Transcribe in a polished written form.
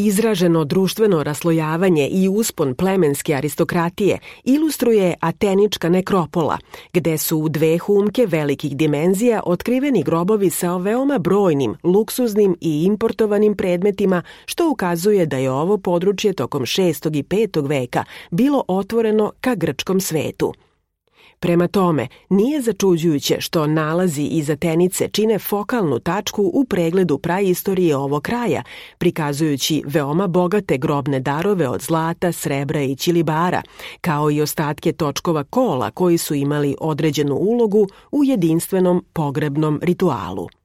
Izraženo društveno raslojavanje i uspon plemenske aristokratije ilustruje Atenička nekropola, gde su u dve humke velikih dimenzija otkriveni grobovi sa veoma brojnim, luksuznim i importovanim predmetima, što ukazuje da je ovo područje tokom 6. i 5. veka bilo otvoreno ka grčkom svetu. Prema tome, nije začuđujuće što nalazi iz Atenice čine fokalnu tačku u pregledu praistorije ovog kraja, prikazujući veoma bogate grobne darove od zlata, srebra i ćilibara, kao i ostatke točkova kola koji su imali određenu ulogu u jedinstvenom pogrebnom ritualu.